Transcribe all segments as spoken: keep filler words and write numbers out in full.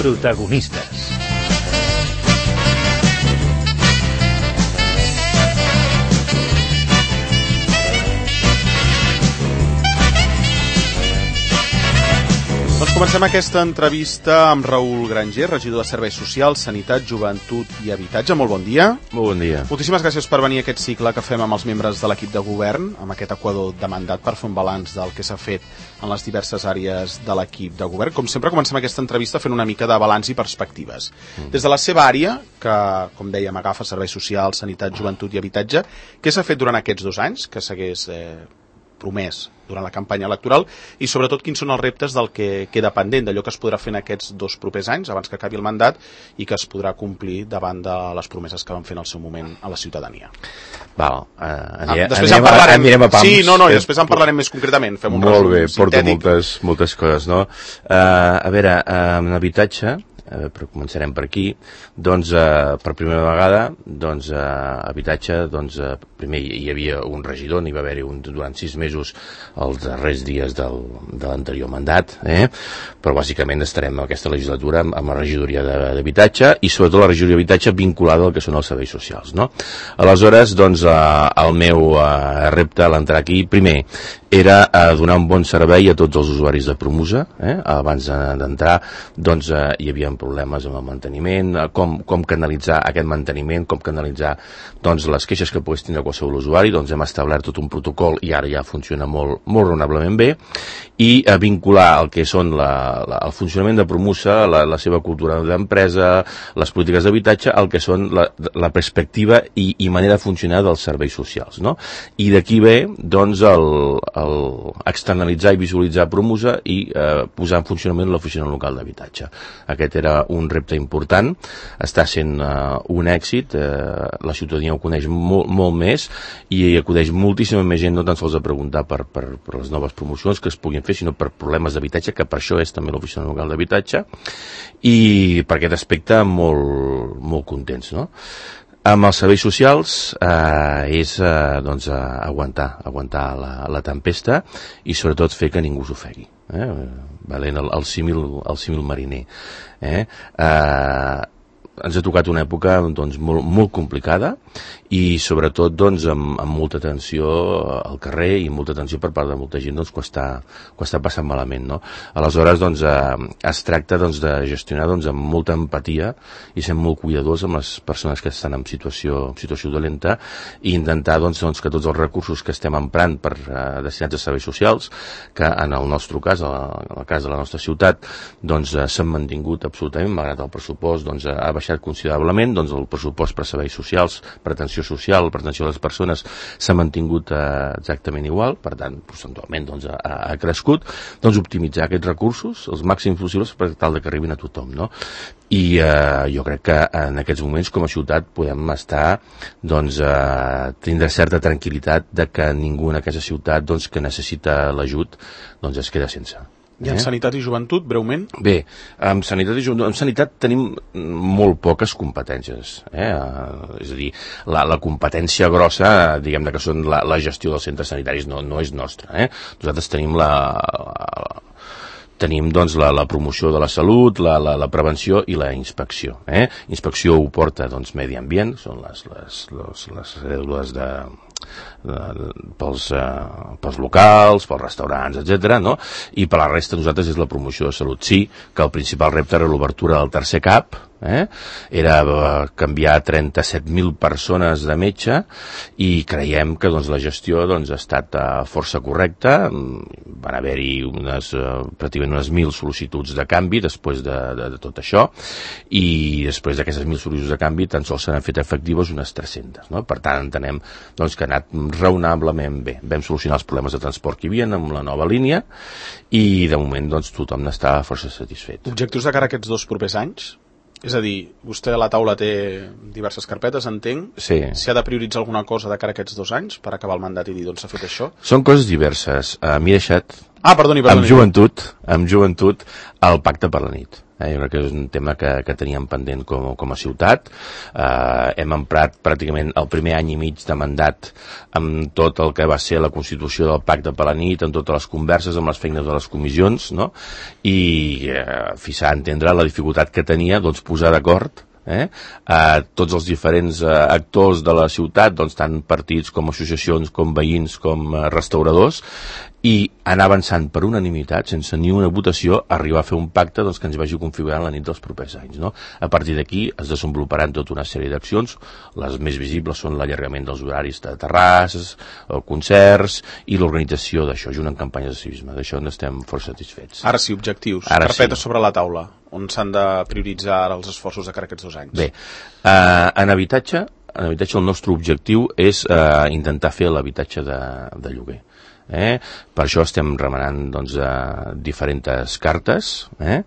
Protagonistes. Doncs comencem aquesta entrevista amb Raül Granger, regidor de Serveis Socials, Sanitat, Joventut i Habitatge. Molt bon dia. Molt bon dia. Moltíssimes gràcies per venir a aquest cicle que fem amb els membres de l'equip de govern, amb aquest equador de mandat per fer un balanç del que s'ha fet en les diverses àrees de l'equip de govern. Com sempre, comencem aquesta entrevista fent una mica de balanç i perspectives. Mm. Des de la seva àrea, que, com dèiem, agafa Serveis Socials, Sanitat, Joventut i Habitatge, què s'ha fet durant aquests dos anys que s'hagués eh, promès durant la campanya electoral i sobretot quins són els reptes del que queda pendent, d'allò que es podrà fer en aquests dos propers anys abans que acabi el mandat i que es podrà complir davant de les promeses que van fer en el seu moment a la ciutadania. Val, uh, anirem, ah, després anirem, en parlarem, anirem a pams. Sí, no, no, i després en parlarem més concretament. Fem un Molt bé, resum porta sintètic. moltes, moltes coses, no? Uh, a veure, uh, en habitatge, Uh, però començarem per aquí, doncs uh, per primera vegada doncs uh, habitatge, doncs uh, primer hi havia un regidor, n'hi va haver-hi un durant sis mesos els darrers dies del, de l'anterior mandat, eh? Però bàsicament estarem en aquesta legislatura amb, amb la regidoria d'habitatge i sobretot la regidoria d'habitatge vinculada al que són els serveis socials, no? Aleshores, doncs uh, el meu uh, repte a l'entrar aquí, primer era uh, donar un bon servei a tots els usuaris de Promusa, eh? Abans d'entrar doncs uh, hi havia problemes amb el manteniment, com, com canalitzar aquest manteniment, com canalitzar doncs, les queixes que pogués tindre qualsevol usuari, doncs hem establert tot un protocol i ara ja funciona molt, molt raonablement bé, i eh, vincular el que són la, la, el funcionament de Promusa, la, la seva cultura d'empresa, les polítiques d'habitatge, el que són la, la perspectiva i, i manera de funcionar dels serveis socials, no? I d'aquí ve doncs el, el externalitzar i visualitzar Promusa i eh, posar en funcionament l'oficina local d'habitatge. Aquest era un repte important, està sent uh, un èxit, uh, la ciutadania ho coneix molt, molt més i hi acudeix moltíssima més gent, no tan sols a preguntar per, per, per les noves promocions que es puguin fer, sinó per problemes d'habitatge, que per això és també l'oficina local d'habitatge, i per aquest aspecte molt, molt contents, no? Amb els serveis socials eh, és eh, doncs, eh, aguantar, aguantar la, la tempesta i sobretot fer que ningú s'ofegui. Eh? Valent el, el, símil, el símil mariner. Eh? Eh, ens ha tocat una època doncs, molt, molt complicada i sobretot doncs, amb, amb molta atenció al carrer i molta atenció per part de molta gent doncs, que, està, que està passant malament, no? Aleshores doncs, eh, es tracta doncs, de gestionar doncs, amb molta empatia i ser molt cuidadors amb les persones que estan en situació, en situació dolenta i intentar doncs, doncs, que tots els recursos que estem emprant per eh, destinats a serveis socials, que en el nostre cas, en el cas de la nostra ciutat, doncs, eh, s'han mantingut absolutament, malgrat el pressupost doncs, ha baixat considerablement, doncs el pressupost per serveis socials, per atenció social, per atenció a les persones s'ha mantingut eh, exactament igual, per tant, percentualment doncs, ha, ha crescut, doncs optimitzar aquests recursos els màxims possibles per tal de que arribin a tothom, no? I eh, jo crec que en aquests moments com a ciutat podem estar doncs, eh, tindre certa tranquil·litat de que ningú en aquesta ciutat doncs, que necessita l'ajut doncs, es queda sense. I en eh? Sanitat i Joventut, breument? Bé, en Sanitat i Joventut, en Sanitat tenim molt poques competències. Eh? És a dir, la, la competència grossa, diguem-ne que són la, la gestió dels centres sanitaris, no, no és nostra. Eh? Nosaltres tenim la... la tenim doncs, la, la promoció de la salut, la, la, la prevenció i la inspecció. Eh? Inspecció ho porta doncs, Medi Ambient, són les, les, les, les cèdules de... Pels, uh, pels locals, pels restaurants, etcètera, no? I per la resta nosaltres és la promoció de salut. Sí que el principal repte era l'obertura del tercer cap, eh? Era uh, canviar trenta-set mil persones de metge i creiem que doncs, la gestió doncs, ha estat uh, força correcta. Van haver-hi unes, uh, pràcticament unes mil sol·licituds de canvi després de, de, de tot això i després d'aquestes mil sol·licituds de canvi tan sols s'han fet efectives unes tres-centes, no? Per tant entenem doncs, que ha anat raonablement bé. Vam solucionar els problemes de transport que hi havia amb la nova línia i de moment doncs, tothom n'està força satisfet. Objectius de cara a aquests dos propers anys? És a dir, vostè a la taula té diverses carpetes, entenc. Sí. Si ha de prioritzar alguna cosa de cara a aquests dos anys per acabar el mandat i dir, doncs s'ha fet això? Són coses diverses. Uh, M'hi he deixat ah, perdoni, perdoni. amb joventut, amb joventut el pacte per la nit. Eh? Jo crec que és un tema que, que teníem pendent com, com a ciutat. Eh, hem emprat pràcticament el primer any i mig de mandat amb tot el que va ser la constitució del pacte per la nit, amb totes les converses, amb les feines de les comissions, no? I eh, fins a entendre la dificultat que tenia doncs, posar d'acord Eh? a tots els diferents eh, actors de la ciutat, doncs, tant partits com associacions, com veïns, com eh, restauradors, i anar avançant per unanimitat, sense ni una votació, arribar a fer un pacte doncs, que ens vagi configurant la nit dels propers anys. No? A partir d'aquí es desenvoluparan tota una sèrie d'accions. Les més visibles són l'allargament dels horaris de terrasses, concerts i l'organització d'això, junt amb campanyes de civisme. D'això n'estem força satisfets. Ara sí, objectius. Ara Carpetes sí. sobre la taula. On s'han de prioritzar ara els esforços de cara a aquests dos anys? Bé, eh, en habitatge, en habitatge el nostre objectiu és eh, intentar fer l'habitatge de, de lloguer. Eh? Per això estem remenant doncs, eh, diferents cartes eh?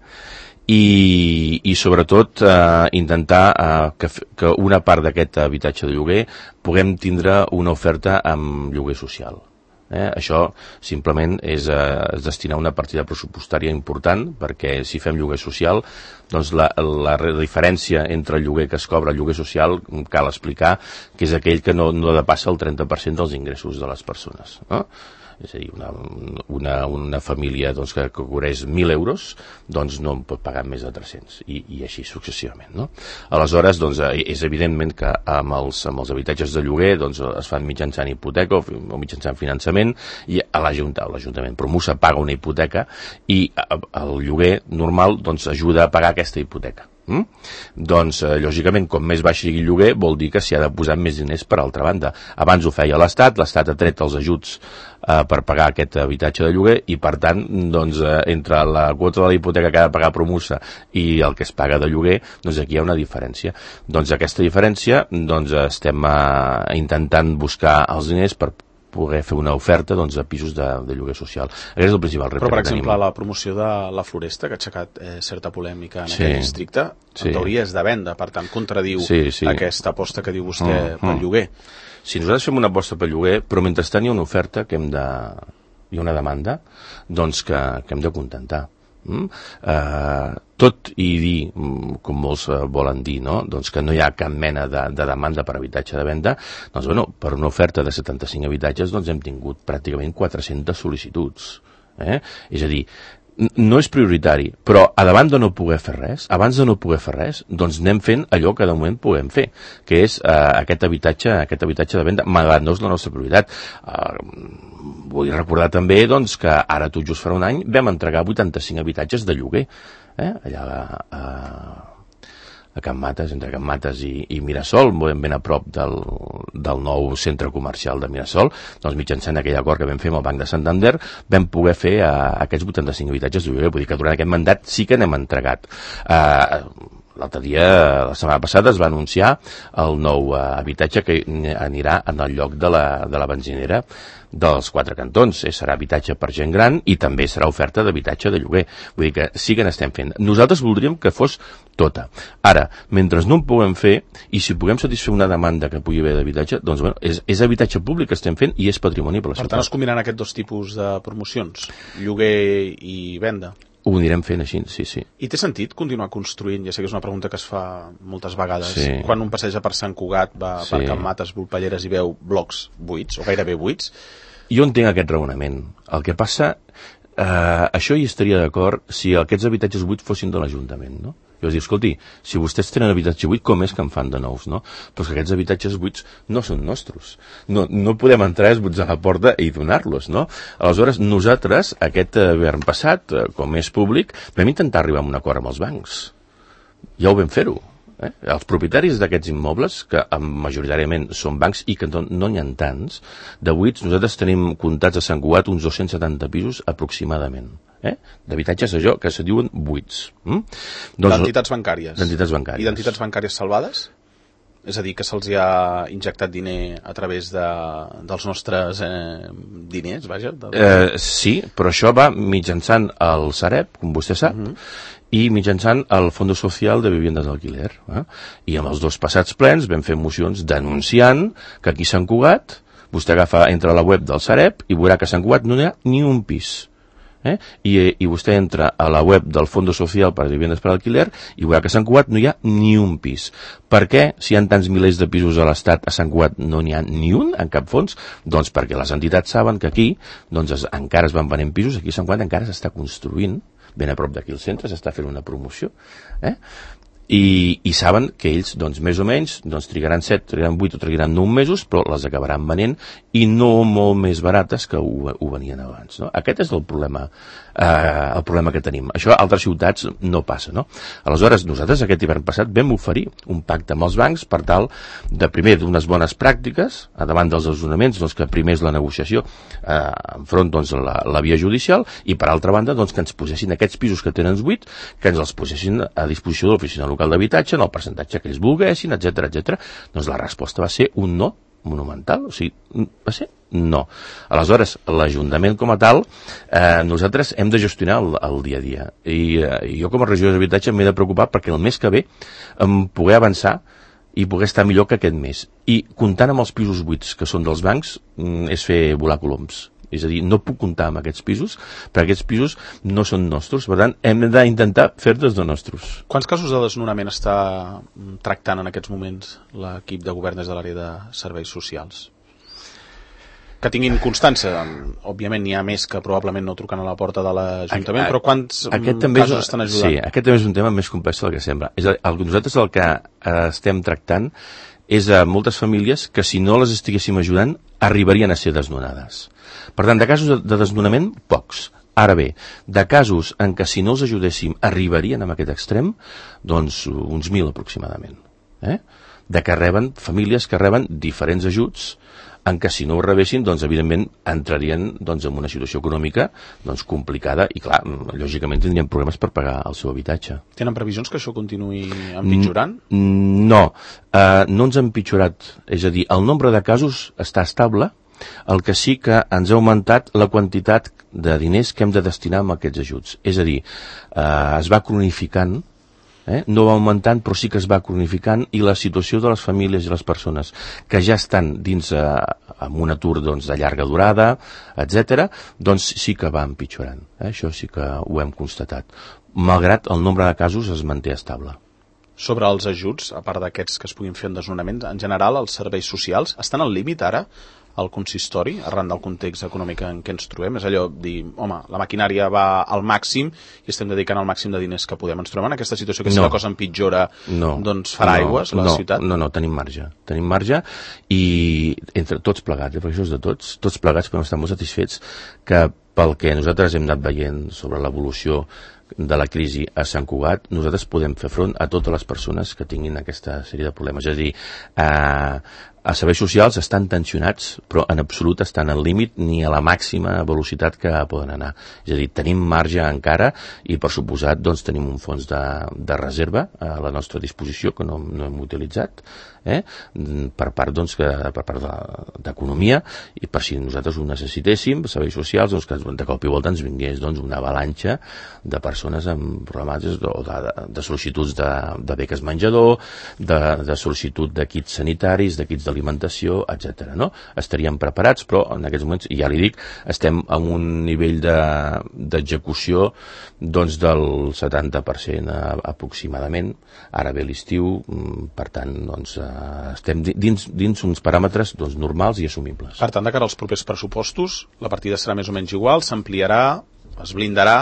I, i sobretot eh, intentar eh, que, que una part d'aquest habitatge de lloguer puguem tindre una oferta amb lloguer social. Eh? Això simplement és, eh, és destinar una partida pressupostària important, perquè si fem lloguer social doncs la, la diferència entre el lloguer que es cobra i el lloguer social cal explicar que és aquell que no, no depassa el trenta per cent dels ingressos de les persones, no? És a dir, una, una, una família doncs, que cobreix mil euros doncs no en pot pagar més de tres-cents i, i així successivament, no? Aleshores doncs, és evidentment que amb els, amb els habitatges de lloguer doncs, es fan mitjançant hipoteca o, o mitjançant finançament i a l'Ajuntament Promusa paga una hipoteca i el lloguer normal doncs, ajuda a pagar aquesta hipoteca. Mm? Doncs eh, lògicament com més baix sigui el lloguer vol dir que s'hi ha de posar més diners per altra banda. Abans ho feia l'Estat, l'Estat ha tret els ajuts eh, per pagar aquest habitatge de lloguer i per tant doncs, eh, entre la quota de la hipoteca que ha de pagar Promusa i el que es paga de lloguer, doncs aquí hi ha una diferència. Doncs aquesta diferència doncs, estem eh, intentant buscar els diners per poder fer una oferta doncs, de pisos de, de lloguer social. Aquest és el principal repte. Però, per que exemple, tenim. la promoció de la Floresta, que ha aixecat eh, certa polèmica en Sí. aquell districte, Sí. en teoria és de venda, per tant, contradiu Sí, sí. aquesta aposta que diu vostè Mm, pel mm. lloguer. Si nosaltres fem una aposta per lloguer, però mentrestant hi ha una oferta que hem de... hi ha una demanda doncs que, que hem de contentar. Mm? Eh, tot i dir, com molts eh, volen dir, no? doncs que no hi ha cap mena de, de demanda per habitatge de venda, doncs bueno, per una oferta de setanta-cinc habitatges doncs hem tingut pràcticament quatre-centes sol·licituds. Eh? És a dir, no és prioritari, però a davant de no poder fer res, abans de no poder fer res, doncs anem fent allò que de moment puguem fer, que és eh, aquest habitatge aquest habitatge de venda, malgrat no és la nostra prioritat. Eh, vull recordar també doncs, que ara tot just farà un any vam entregar vuitanta-cinc habitatges de lloguer, eh? allà a, a, a Can Mates, entre Can Mates i, i Mirasol, ben, ben a prop del, del nou centre comercial de Mirasol. Doncs mitjançant aquell acord que vam fer amb el Banc de Santander vam poder fer uh, aquests vuitanta-cinc habitatges de lloguer. Vull dir que durant aquest mandat sí que n'hem entregat. Uh, L'altre dia, la setmana passada, es va anunciar el nou uh, habitatge que anirà en el lloc de la, de la benzinera dels Quatre Cantons. Eh, serà habitatge per gent gran i també serà oferta d'habitatge de lloguer. Vull dir que sí que n'estem fent. Nosaltres voldríem que fos tota. Ara, mentre no en puguem fer, i si puguem satisfer una demanda que pugui haver d'habitatge, doncs bueno, és, és habitatge públic que estem fent i és patrimoni per la ciutat. Per tant, es combinaran aquests dos tipus de promocions, lloguer i venda. Ho anirem fent així, sí, sí. I té sentit continuar construint? Ja sé que és una pregunta que es fa moltes vegades. Sí. Quan un passeja per Sant Cugat, va Sí. per Can Mates, Volpelleres i veu blocs buits, o gairebé buits. Jo entenc aquest raonament. El que passa, eh, això hi estaria d'acord si aquests habitatges buits fossin de l'Ajuntament, no? I us diu, escolti, si vostès tenen habitatge buit, com és que en fan de nous, no? Però que aquests habitatges buits no són nostres. No, no podem entrar esbotzar a la porta i donar-los, no? Aleshores, nosaltres, aquest hivern passat, com és públic, vam intentar arribar a un acord amb els bancs. Ja ho vam fer-ho. Eh? Els propietaris d'aquests immobles, que majoritàriament són bancs i que no, no n'hi ha tants, de buits, nosaltres tenim comptats a Sant Cugat uns dos-cents setanta pisos aproximadament. Eh? D'habitatges allò que se diuen buits. Mm? Doncs, d'entitats bancàries. D'entitats bancàries. I d'entitats bancàries salvades? És a dir, que se'ls ha injectat diner a través de, dels nostres eh, diners, vaja? De... Eh, sí, però això va mitjançant el Sareb, com vostè sap, uh-huh. i mitjançant el Fondo Social de Viviendas d'Alquiler. Eh? I amb els dos passats plens vam fer mocions denunciant que aquí a Sant Cugat, vostè agafa, entra a la web del Sareb i veurà que a Sant Cugat no hi ha ni un pis. Eh? I, i vostè entra a la web del Fondo Social para Viviendas para Alquiler i veurà que a Sant Cugat no hi ha ni un pis. Per què, si hi ha tants milers de pisos a l'Estat, a Sant Cugat no n'hi ha ni un en cap fons? Doncs perquè les entitats saben que aquí doncs, es, encara es van venent pisos, aquí a Sant Cugat encara s'està construint, ben a prop d'aquí al centre s'està fent una promoció, eh? I, i saben que ells, doncs, més o menys, doncs, trigaran set, trigaran vuit o trigaran nou mesos, però les acabaran venent i no molt més barates que ho, ho venien abans, no? Aquest és el problema, eh, el problema que tenim. Això a altres ciutats no passa, no? Aleshores, nosaltres aquest hivern passat vam oferir un pacte amb els bancs per tal de, primer, d'unes bones pràctiques, a davant dels desnonaments, doncs, que primer és la negociació eh, enfront, doncs, la, la via judicial, i per altra banda, doncs, que ens posessin aquests pisos que tenen buit, que ens els posessin a disposició de l'oficina local d'habitatge en el percentatge que ells volguessin, etcètera, etcètera. Doncs la resposta va ser un no monumental, o sigui, va ser no. Aleshores, l'Ajuntament com a tal, eh, nosaltres hem de gestionar el, el dia a dia. I eh, jo com a regidor d'habitatge m'he de preocupar perquè el mes que ve em poder avançar i poder estar millor que aquest mes. I comptant amb els pisos buits que són dels bancs, és fer volar coloms. És a dir, no puc comptar amb aquests pisos, perquè aquests pisos no són nostres. Per tant, hem d'intentar fer-los de nostres. Quants casos de desnonament està tractant en aquests moments l'equip de govern des de l'àrea de serveis socials? Que tinguin constància. Òbviament n'hi ha més que probablement no truquen a la porta de l'Ajuntament, però quants casos és, estan ajudant? Sí, aquest també és un tema més complex del que sembla. És a dir, nosaltres el que eh, estem tractant és a moltes famílies que si no les estiguéssim ajudant arribarien a ser desnonades. Per tant, de casos de desnonament, pocs. Ara bé, de casos en què si no els ajudéssim arribarien a aquest extrem, doncs uns mil aproximadament. Eh? De que reben, famílies que reben diferents ajuts, en què si no ho rebessin, doncs evidentment entrarien doncs, en una situació econòmica doncs, complicada i clar, lògicament tindrien problemes per pagar el seu habitatge. Tenen previsions que això continuï empitjorant? No, uh, no ens ha empitjorat. És a dir, el nombre de casos està estable. El que sí que ens ha augmentat la quantitat de diners que hem de destinar a aquests ajuts. És a dir, eh, es va cronificant, eh? no va augmentant, però sí que es va cronificant, i la situació de les famílies i les persones que ja estan dins eh, amb un atur doncs, de llarga durada, etcètera, doncs sí que va empitjorant. Eh? Això sí que ho hem constatat. Malgrat el nombre de casos es manté estable. Sobre els ajuts, a part d'aquests que es puguin fer en desnonaments, en general els serveis socials estan al límit ara al consistori, arran del context econòmic en què ens trobem? És allò dir, home, la maquinària va al màxim i estem dedicant el màxim de diners que podem. Ens trobem en aquesta situació que si no. la cosa empitjora, no. doncs farà no. aigües la no. ciutat? No, no, tenim marge. Tenim marge i entre tots plegats, eh, perquè això és de tots, tots plegats podem estar molt satisfets que pel que nosaltres hem anat veient sobre l'evolució de la crisi a Sant Cugat, nosaltres podem fer front a totes les persones que tinguin aquesta sèrie de problemes. És a dir, eh, els serveis socials estan tensionats, però en absolut estan al límit ni a la màxima velocitat que poden anar. És a dir, tenim marge encara i, per suposat, doncs, tenim un fons de, de reserva a la nostra disposició que no, no hem utilitzat, eh? per part doncs, que, per part d'economia, i per si nosaltres ho necessitéssim, serveis socials, doncs, que de cop i volta ens vingués doncs, una avalanxa de persones amb problemàtiques de, de, de sol·licituds de, de beques menjador, de, de sol·licitud de kits sanitaris, de kits d'alimentació, etcètera. No? Estaríem preparats, però en aquests moments, ja li dic, estem en un nivell d'execució de, doncs, del setanta per cent aproximadament. Ara ve l'estiu, per tant, doncs, estem dins, dins uns paràmetres doncs, normals i assumibles. Per tant, de cara als propers pressupostos, la partida serà més o menys igual, s'ampliarà, es blindarà?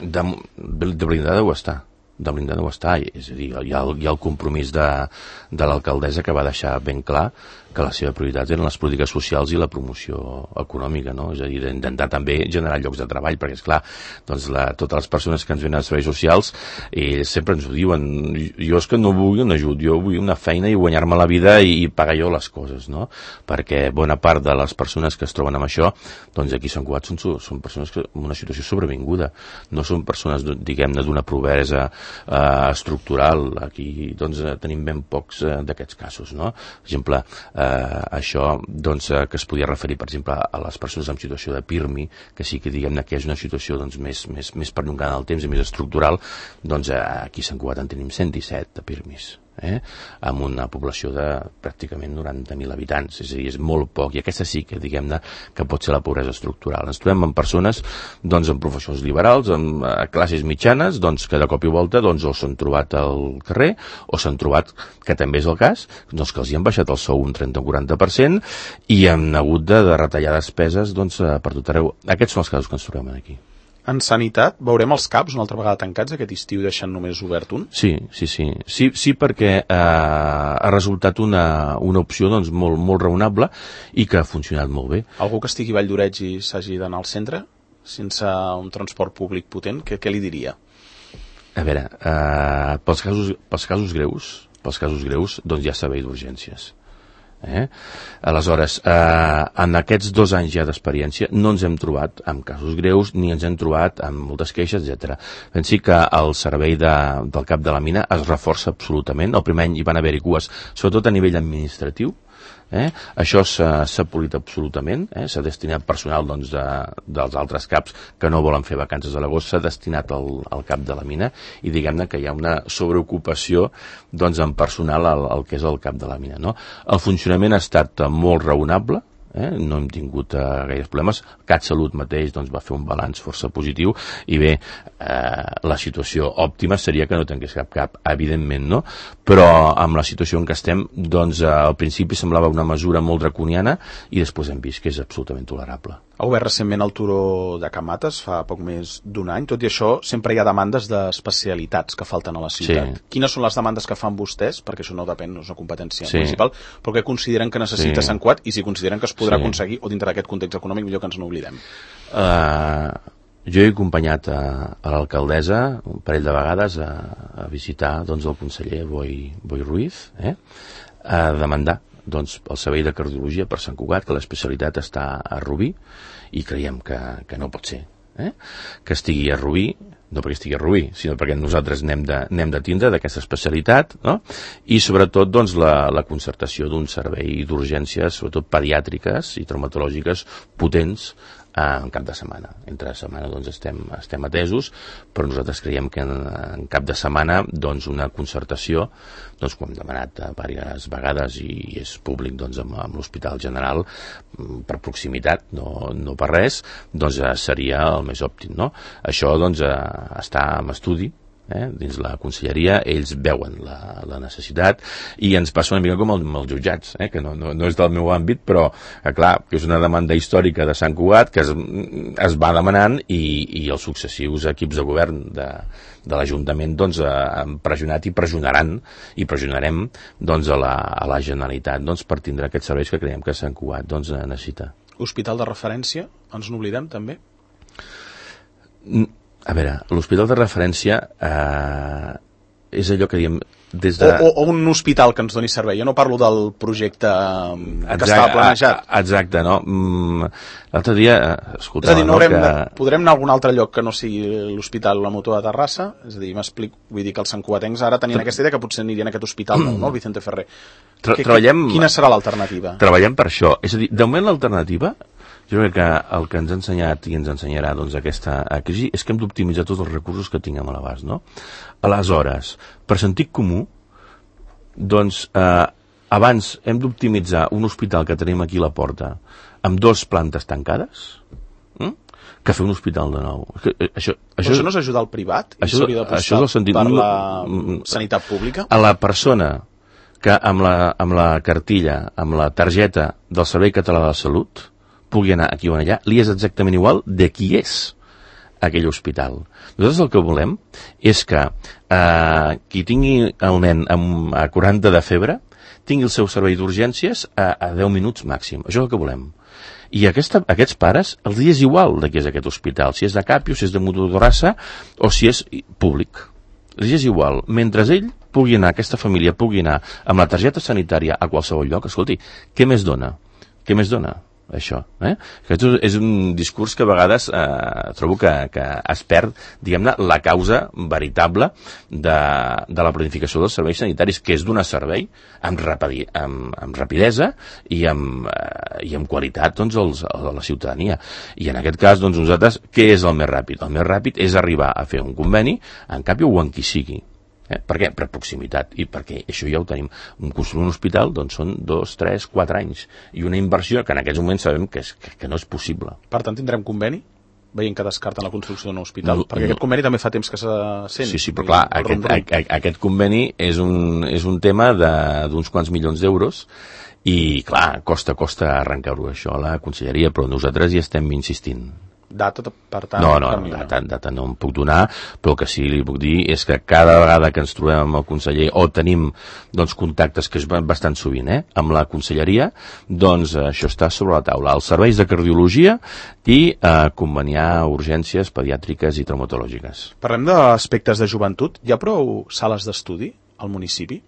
De, de blindada ho està. De blindada ho està. És a dir, hi ha, hi ha el compromís de, de l'alcaldessa que va deixar ben clar que la seva prioritat eren les polítiques socials i la promoció econòmica, no? És a dir, d'intentar també generar llocs de treball, perquè, esclar, doncs la, totes les persones que ens venen als serveis socials eh, sempre ens ho diuen, jo és que no vull un ajut, jo vull una feina i guanyar-me la vida i, i pagar jo les coses, no? Perquè bona part de les persones que es troben amb això, doncs aquí a Sant Cugat són, són persones que en una situació sobrevinguda, no són persones, diguem-ne, d'una pobresa eh, estructural. Aquí doncs tenim ben pocs eh, d'aquests casos, no? Per exemple, eh, Eh, això doncs, eh, que es podia referir, per exemple, a les persones en situació de PIRMI, que sí que diguem-ne que és una situació doncs, més, més, més perllongada en el temps i més estructural, doncs eh, aquí a Sant Cugat en tenim cent disset de PIRMIs. eh? Amb una població de pràcticament noranta mil habitants, és a dir, és molt poc, i aquesta sí que, diguem-ne, que pot ser la pobresa estructural. Ens trobem amb persones, doncs, amb professions liberals, amb eh, classes mitjanes, doncs, que de cop i volta, doncs, o s'han trobat al carrer, o s'han trobat, que també és el cas, doncs, que els hi han baixat el sou un trenta o quaranta per cent, i han hagut de, de retallar despeses, doncs, per tot arreu. Aquests són els casos que ens trobem aquí. En sanitat, veurem els CAPs una altra vegada tancats aquest estiu i deixant només obert un? Sí, sí, sí. Sí, sí perquè eh, ha resultat una, una opció doncs, molt, molt raonable i que ha funcionat molt bé. Algú que estigui a Valldoreix i s'hagi d'anar al centre, sense un transport públic potent, què, què li diria? A veure, eh, pels, casos, pels casos greus, pels casos greus, doncs hi ha servei d'urgències. Eh? Aleshores, eh, en aquests dos anys ja d'experiència no ens hem trobat amb casos greus ni ens hem trobat amb moltes queixes, etcètera. Pensi que el servei de, del cap de la mina es reforça absolutament. El primer any hi van haver-hi cues, sobretot a nivell administratiu. Eh? Això s'ha polit absolutament, eh? S'ha destinat personal doncs, de, dels altres caps que no volen fer vacances a l'agost, s'ha destinat al, al cap de la mina i diguem-ne que hi ha una sobreocupació doncs, en personal al, al que és el cap de la mina. No? El funcionament ha estat molt raonable, eh? No hem tingut eh, gaires problemes. CatSalut mateix doncs, va fer un balanç força positiu i bé, eh, la situació òptima seria que no tanqués cap cap, evidentment no, però amb la situació en què estem doncs eh, al principi semblava una mesura molt draconiana i després hem vist que és absolutament tolerable. Ha obert recentment el turó de Can Mates fa poc més d'un any, tot i això sempre hi ha demandes d'especialitats que falten a la ciutat. Sí. Quines són les demandes que fan vostès, perquè això no depèn, no és una competència sí. municipal, però que consideren que necessita sí. Sant Cugat i si consideren que es podrà sí. aconseguir o dintre d'aquest context econòmic millor que ens n'oblidem? Uh, jo he acompanyat a, a l'alcaldessa un parell de vegades a, a visitar doncs, el conseller Boi, Boi Ruiz eh? a demandar doncs, el servei de cardiologia per Sant Cugat, que l'especialitat està a Rubí i creiem que, que no pot ser eh? que estigui a Rubí, no perquè estigui a Rubí, sinó perquè nosaltres n'hem de, n'hem de tindre d'aquesta especialitat, no? I sobretot doncs, la, la concertació d'un servei d'urgències, sobretot pediàtriques i traumatològiques potents en cap de setmana. Entre setmana doncs, estem, estem atesos, però nosaltres creiem que en, en cap de setmana doncs, una concertació, doncs, com hem demanat diverses vegades i és públic doncs, amb, amb l'Hospital General per proximitat, no, no per res, doncs seria el més òptim. No? Això doncs, està en estudi, eh, dins la conselleria, ells veuen la, la necessitat i ens passa una mica com el, amb els jutjats, eh, que no, no, no és del meu àmbit, però eh, clar, que és una demanda històrica de Sant Cugat que es, es va demanant i, i els successius equips de govern de, de l'Ajuntament doncs, eh, han pressionat i pressionaran i pressionarem doncs, a, la, a la Generalitat doncs, per tindre aquests serveis que creiem que Sant Cugat doncs, necessita. Hospital de referència, ens n'oblidem també? A veure, l'hospital de referència eh, és allò que diem des de... O, o, o un hospital que ens doni servei. Jo no parlo del projecte que exacte, estava planejat. Exacte, no? L'altre dia escoltava... És a dir, no, no que... de, podrem anar a algun altre lloc que no sigui l'hospital La Mutua de Terrassa? És a dir, m'explico, vull dir que els santcugatencs ara tenien aquesta idea que potser anirien a aquest hospital nou, no? El Vicente Ferrer. Tra que, treballem... Quina serà l'alternativa? Treballem per això. És a dir, de moment l'alternativa... Jo crec que el que ens ha ensenyat i ens ensenyarà doncs, aquesta crisi és que hem d'optimitzar tots els recursos que tinguem a l'abast, no? Aleshores, per sentit comú, doncs, eh, abans hem d'optimitzar un hospital que tenim aquí a la porta amb dues plantes tancades, hm? que fer un hospital de nou. Això, això, això no és ajudar al privat? Això, això és el sentit... Per la sanitat pública? A la persona que amb la, amb la cartilla, amb la targeta del Servei Català de la Salut pugui anar aquí o allà, li és exactament igual de qui és aquell hospital. Nosaltres el que volem és que eh, qui tingui el nen amb, a quaranta de febre tingui el seu servei d'urgències a, a deu minuts màxim. Això és el que volem. I aquesta, aquests pares els és igual de qui és aquest hospital, si és de Capio, si és de Mutua de Terrassa o si és públic. Els és igual. Mentre ell pugui anar, aquesta família pugui anar amb la targeta sanitària a qualsevol lloc, escolti, què més dona? Què més dona? Això, eh? Aquest és un discurs que a vegades eh, trobo que, que es perd, diguem-ne, la causa veritable de, de la planificació dels serveis sanitaris, que és donar servei amb, rapidi, amb, amb rapidesa i amb, eh, i amb qualitat doncs, als, a la ciutadania. I en aquest cas, doncs, nosaltres, què és el més ràpid? El més ràpid és arribar a fer un conveni en Capio o en qui sigui. Eh? Per què? Per proximitat, i perquè això ja ho tenim. Construir un hospital doncs són dos, tres, quatre anys, i una inversió que en aquests moments sabem que, és, que, que no és possible. Per tant, tindrem conveni? Veient que descarten la construcció d'un hospital, no, perquè no. aquest conveni també fa temps que se sent. Sí, sí, però clar, aquest, a, aquest conveni és un, és un tema d'uns quants milions d'euros, i clar, costa, costa arrencar-ho això a la conselleria, però nosaltres hi estem insistint. Data, per tant... No, no, no data, data no em puc donar, però el que sí li puc dir és que cada vegada que ens trobem amb el conseller o tenim doncs, contactes, que és bastant sovint, eh, amb la conselleria, doncs això està sobre la taula. Els serveis de cardiologia i eh, conveniar urgències pediàtriques i traumatològiques. Parlem d'aspectes de joventut. Hi ha prou sales d'estudi al municipi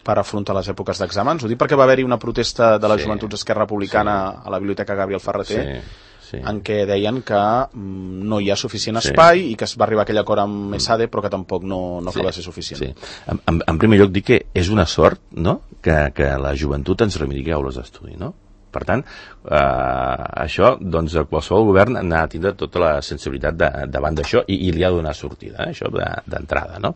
per afrontar les èpoques d'exàmens? Ho dic perquè va haver-hi una protesta de les sí, joventuts Esquerra Republicana sí. a la Biblioteca Gabriel Ferreter, sí. Sí. en què deien que mm, no hi ha suficient espai sí. i que es va arribar a aquell acord amb ESADE, però que tampoc no, no sí. acaba de ser suficient. Sí. En, en, en primer lloc, dic que és una sort, no?, que, que la joventut ens reivindiqui aules d'estudi, no? Per tant, eh, això, doncs, qualsevol govern ha de tindre tota la sensibilitat de, davant d'això i, i li ha de donar sortida, eh, això d'entrada, no?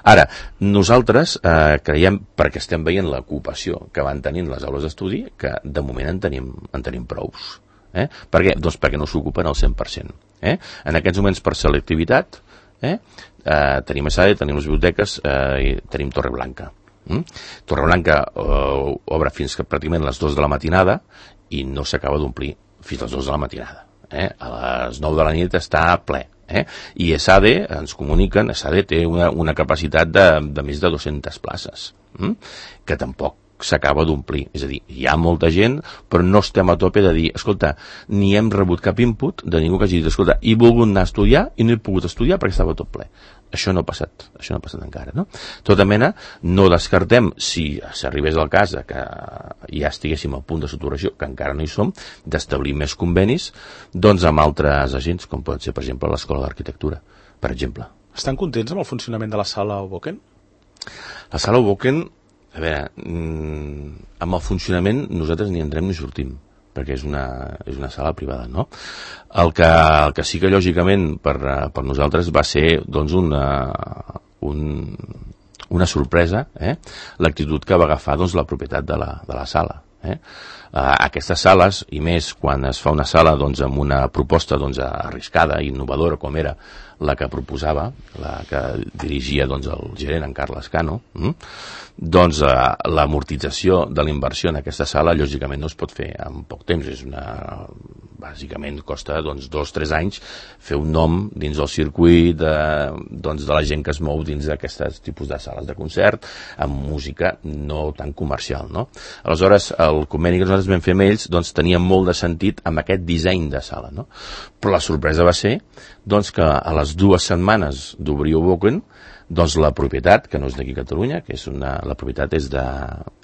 Ara, nosaltres eh, creiem, perquè estem veient l'ocupació que van tenint les aules d'estudi, que de moment en tenim, en tenim prous. Eh? Per què? Doncs perquè no s'ocupen al cent per cent. Eh? En aquests moments, per selectivitat, eh? Eh, tenim ESADE, tenim les biblioteques eh, i tenim Torreblanca. Mm? Torreblanca eh, obre fins que pràcticament les dues de la matinada i no s'acaba d'omplir fins a les dues de la matinada. Eh? A les nou de la nit està ple. Eh? I ESADE, ens comuniquen, ESADE té una, una capacitat de, de més de dues-centes places, mm? que tampoc s'acaba d'omplir. És a dir, hi ha molta gent, però no estem a tope de dir, escolta, ni hem rebut cap input de ningú que hagi dit, escolta, he volgut anar a estudiar i no he pogut estudiar perquè estava tot ple. Això no ha passat, això no ha passat encara, no? Tota mena, no descartem, si s'arribés al cas que ja estiguéssim al punt de saturació, que encara no hi som, d'establir més convenis, doncs amb altres agents, com pot ser, per exemple, l'Escola d'Arquitectura, per exemple. Estan contents amb el funcionament de la sala Hoboken? La sala Hoboken, a veure, mmm, amb el funcionament nosaltres ni entrem ni sortim, perquè és una, és una sala privada, no? El que, el que sí que, lògicament, per, per nosaltres va ser, doncs, una, un, una sorpresa, eh? l'actitud que va agafar, doncs, la propietat de la, de la sala. Eh? Uh, aquestes sales, i més quan es fa una sala doncs, amb una proposta doncs, arriscada i innovadora com era la que proposava, la que dirigia doncs, el gerent en Carles Cano, hm? doncs uh, l'amortització de la inversió en aquesta sala lògicament no es pot fer en poc temps. És una, bàsicament costa doncs, dos o tres anys fer un nom dins del circuit de, doncs, de la gent que es mou dins d'aquests tipus de sales de concert amb música no tan comercial, no? Aleshores, el conveni que nosaltres vam fer amb ells doncs, tenia molt de sentit amb aquest disseny de sala, no? Però la sorpresa va ser doncs, que a les dues setmanes d'obrir Hoboken, doncs la propietat, que no és d'aquí a Catalunya, que és una, la propietat és de,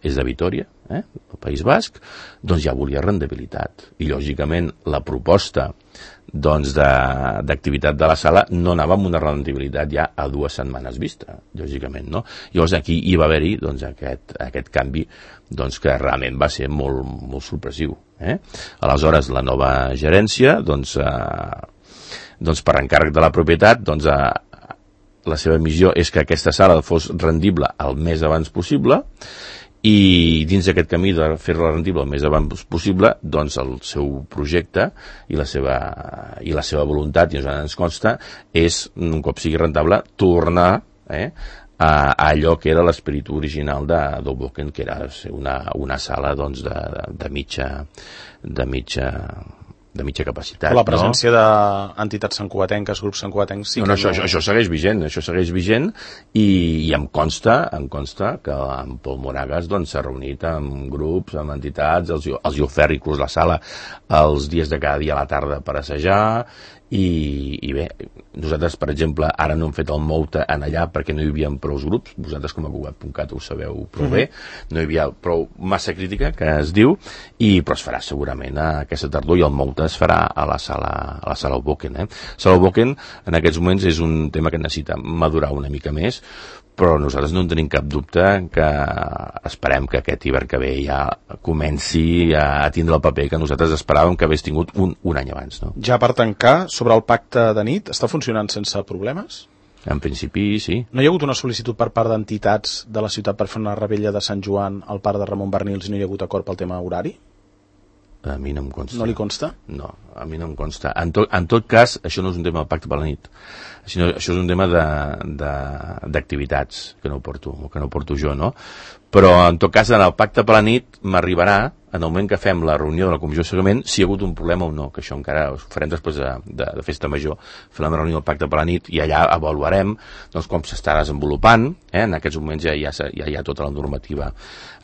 és de Vitoria, eh, el País Basc, doncs ja volia rendibilitat. I lògicament la proposta doncs, d'activitat de, de la sala no anava amb una rendibilitat ja a dues setmanes vista, lògicament, no? Llavors aquí hi va haver-hi doncs, aquest, aquest canvi doncs, que realment va ser molt, molt sorpresiu. Eh? Aleshores, la nova gerència, doncs, eh, doncs per encàrrec de la propietat, doncs, eh, la seva missió és que aquesta sala fos rendible el més abans possible i dins d'aquest camí de fer-la rendible el més abans possible, doncs el seu projecte i la seva, i la seva voluntat, i ens consta, és, un cop sigui rentable, tornar eh, a, a allò que era l'esperit original de Hoboken, que era una, una sala doncs, de, de, de mitja de mitja de mitja capacitat. La presència no? d'entitats santcugatenques, grups santcugatencs... Sí no, no, això, no... això segueix vigent, això segueix vigent i, i em consta, em consta que en Pol Moragas doncs, s'ha reunit amb grups, amb entitats, els, els hi ofert inclús la sala els dies de cada dia a la tarda per assajar i, i bé, nosaltres, per exemple, ara no hem fet el Mouta en allà perquè no hi havia prou grups, vosaltres com a Cugat punt cat ho sabeu prou bé, no hi havia prou massa crítica, que es diu, i, però es farà segurament a aquesta tardor i el Mouta es farà a la sala, a la sala Hoboken. Eh? Sala Hoboken en aquests moments és un tema que necessita madurar una mica més, però nosaltres no en tenim cap dubte que esperem que aquest hivern que ve ja comenci a tindre el paper que nosaltres esperàvem que hagués tingut un, un any abans. No? Ja per tancar, sobre el pacte de nit, està funcionant sense problemes? En principi, sí. No hi ha hagut una sol·licitud per part d'entitats de la ciutat per fer una rebella de Sant Joan al parc de Ramon Bernils i no hi ha hagut acord pel tema horari? A mi no em consta. No li consta? No, a mi no em consta. En, to, en tot cas, això no és un tema del pacte per la nit, sinó això és un tema d'activitats que no porto, que no porto jo, no? Però en tot cas, en el pacte per la nit m'arribarà, en el moment que fem la reunió de la comissió de seguiment, si hi ha hagut un problema o no, que això encara ho farem després de, de, de festa major, farem la reunió del pacte per la nit i allà avaluarem doncs, com s'està desenvolupant. Eh? En aquests moments ja, ja, ja hi ha tota la normativa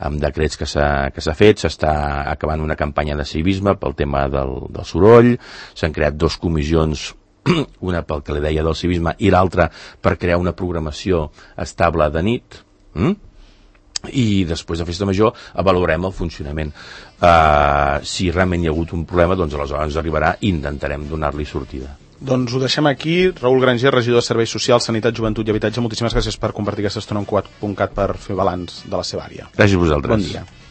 amb decrets que s'ha fet, s'està acabant una campanya de civisme pel tema del, del soroll, s'han creat dos comissions, una pel que li deia del civisme i l'altra per crear una programació estable de nit, mm? I després de festa major avaluarem el funcionament. Uh, si realment hi ha hagut un problema, doncs aleshores ens arribarà i intentarem donar-li sortida. Doncs ho deixem aquí. Raül Granger, regidor de Serveis Socials, Sanitat, Joventut i Habitatge, moltíssimes gràcies per compartir aquesta estona en Cugat punt cat per fer balanç de la seva àrea. Gràcies a vosaltres. Bon dia.